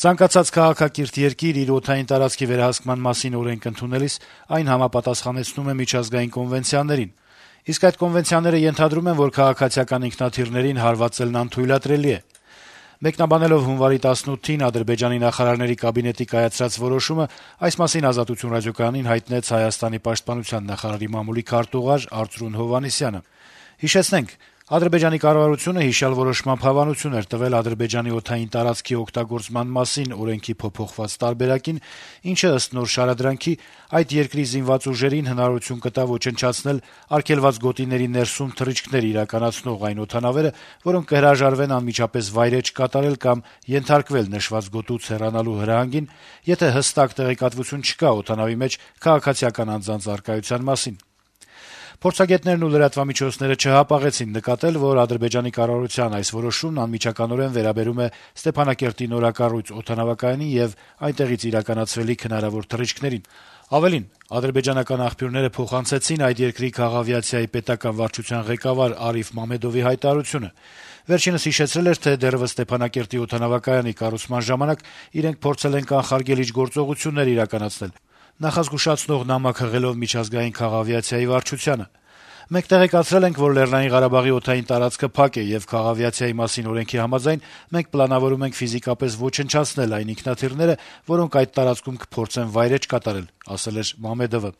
Ցանկացած քաղաքակիրթ երկիր իր օդային տարածքի վերահսկման մասին օրենք ընդունելիս այն համապատասխանեցնում է միջազգային կոնվենցիաներին, իսկ այդ կոնվենցիաները ենթադրում են, որ քաղաքացիական ինքնաթիռներին հարվածելն անթույլատրելի է։ Մեկնաբանելով հունվարի 18-ին Ադրբեջանի նախարարների կաբինետի կայացրած որոշումը, այս մասին Ազատություն ռադիոկայանին հայտնեց Հայաստանի պաշտպանության նախարարի մամուլի քարտուղար Արծրուն Հովհաննիսյանը։ Հիշեցնենք, Ադրբեջանի կառավարությունը հիշյալ որոշմամբ հավանություն էր տվել Ադրբեջանի օդային տարածքի օգտագործման մասին օրենքի փոփոխված տարբերակին, ինչը ըստ նոր շարադրանքի այդ երկրի զինված ուժերին հնարավորություն կտա ոչնչացնել արգելված գոտիների ներսում թռիչքներ իրականացնող այն օդանավերը, որոնք կհրաժարվեն անմիջապես վայրէջք կատարել կամ ենթարկվել նշված գոտուց հեռանալու հրահանգին, եթե հստակ տեղեկատվություն չկա օդանավի մեջ քաղաքացիական անձանց առկայության մասին։ Փորձագետներն ու լրատվամիջոցները չհապաղեցին նկատել, որ Ադրբեջանի կառավարության այս որոշումն անմիջականորեն վերաբերում է Ստեփանակերտի նորակառույց օդանավակայանի եւ այնտեղից իրականացվելիք հնարավոր թռիչքներին։ Ավելին, ադրբեջանական աղբյուրները փոխանցեցին այդ երկրի քաղավիացիայի պետական վարչության ղեկավար Արիֆ Մամեդովի հայտարարությունը։ Վերջինս հիշեցրել էր, թե դեռեւս Ստեփանակերտի օդանավակայանի կառուցման ժամանակ իրենք փորձել են կանխարգելիչ գործողություններ իրականացնել, նախազգուշացնող նամակ հղելով միջազգային քաղավիացիայի վարչությանը։ Մենք տեղեկացրել ենք, որ Լեռնային Ղարաբաղի օդային տարածքը փակ է եւ քաղավիացիայի մասին օրենքի համաձայն մենք պլանավորում ենք ֆիզիկապես ոչնչացնել այն ինքնաթիռները, որոնք այդ տարածքում կփորձեն վայրէջք կատարել, ասել էր Մամեդովը։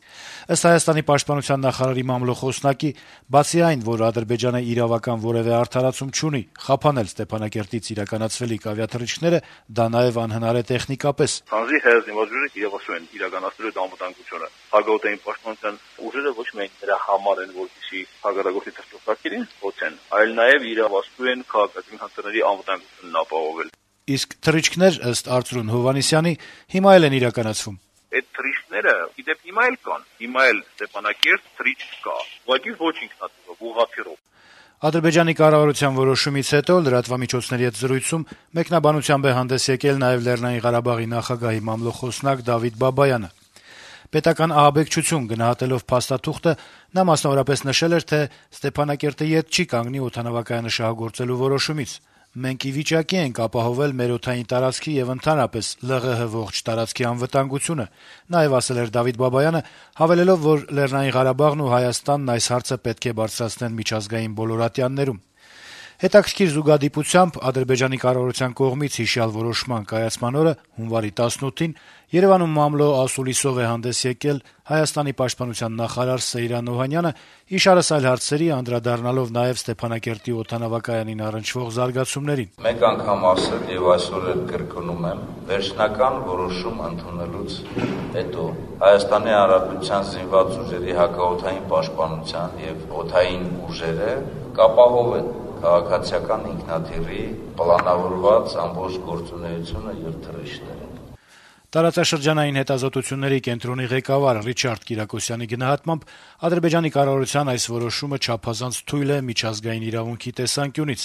Ըստ Հայաստանի պաշտպանության նախարարի մամլոխոսնակի, բացի այն, որ Ադրբեջանը իրավական որեւէ արդարացում չունի խափանել Ստեփանակերտից իրականացվելիք ավիաթռիչքները, դա նաեւ անհնար է տեխնիկապես։ Քանզի հայ զինվորները իրավասու են իրականացրել այդ անվտանգությունը։ Հակաօդային պաշտպանության ուժերը ոչ միայն դրա համար են, որպեսզի հակառակորդի թռչողակերին հոցեն, այլ նաեւ իրավասու են քաղաքացիական հանցանների անվտանգությունն ապահովել։ Իսկ թռիչքներ, ըստ Արծրուն Հովհաննիսյանի, հիմա էլ են իրականացվում։ Այդ թռիչքները իդեպ հիմա էլ կան։ Հիմա էլ Ստեփանակերտ թռիչք կա, ուղղակի ոչ ինքնաթիռով, ուղղաթիռով։ Ադրբեջանի կառավարության որոշումից հետո լրատվամիջոցների հետ զրույցում մեկնաբանությամբ է հանդես եկել նաեւ Լեռնային Ղարաբաղի նախագահի մամլոխոսնակ Դավիթ Բաբայանը։ Պետական ահաբեկչություն գնահատելով փաստաթուղթը, նա մասնավորապես նշել էր, թե Ստեփանակերտը ետ չի կանգնի օդանավակայանը շահագործելու որոշումից։ Մենք ի վիճակի ենք ապահովել մեր օդային տարածքի եւ ընդհանրապես ԼՂՀ ողջ տարածքի անվտանգությունը, նաեւ ասել էր Դավիթ Բաբայանը, հավելելով, որ Լեռնային Ղարաբաղն ու Հայաստանն այս հարցը պետք է բարձրացնեն միջազգային բոլոր ատյաններում։ Հետաքրքիր զուգադիպությամբ Ադրբեջանի կառավարության կողմից հիշյալ որոշման կայացման օրը հունվարի 18-ին Երևանում մամլո ասուլիսով է հանդես եկել Հայաստանի պաշտպանության նախարար Սեյրան Օհանյանը, իշարս այլ հարցերի անդրադառնալով նաեւ Ստեփանակերտի օդանավակայանին առնչվող զարգացումներին։ Մեկ անգամ ասել եւ այսօր էլ կրկնում եմ, վերջնական որոշում ընդունելուց հետո Հայաստանի Հանրապետության զինված ուժերի հակաօդային պաշտպանության եւ օդային ուժերը կապահովեն քաղաքացիական ինքնաթիռի պլանավորված ամբողջ գործունեությունը եւ թռիչքները։ Տարածաշրջանային հետազոտությունների կենտրոնի ղեկավար Ռիչարդ Կիրակոսյանի գնահատմամբ Ադրբեջանի կառավարության այս որոշումը չափազանց թույլ է միջազգային իրավունքի տեսանկյունից։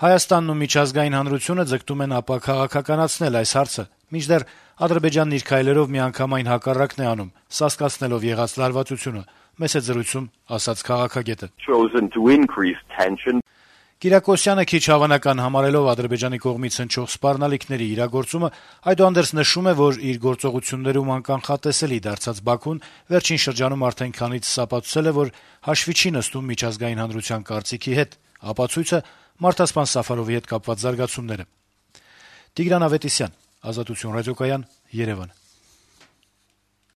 Հայաստանն ու միջազգային հանրությունը ձգտում են ապաքաղաքականացնել այս հարցը, մինչդեռ Ադրբեջանն իր քայլերով միանգամայն հակառակն է անում, սասկացնելով եղած լարվածությունը, մեծ է զրույցում ասաց քաղաքագետը։ Կիրակոսյանը քիչ հավանական համարելով Ադրբեջանի կողմից հնչող սպառնալիքների իրագործումը, այդուհանդերձ նշում է, որ իր գործողություններում անկանխատեսելի դարձած Բաքուն վերջին շրջանում արդեն քանից սապացուցել է, որ հաշվի չի նստում միջազգային հանրության կարծիքի հետ, ապացույցը Մարդասպան Սաֆարովի հետ կապված զարգացումները։ Տիգրան Ավետիսյան, Ազատություն ռադիոկայան, Երևան։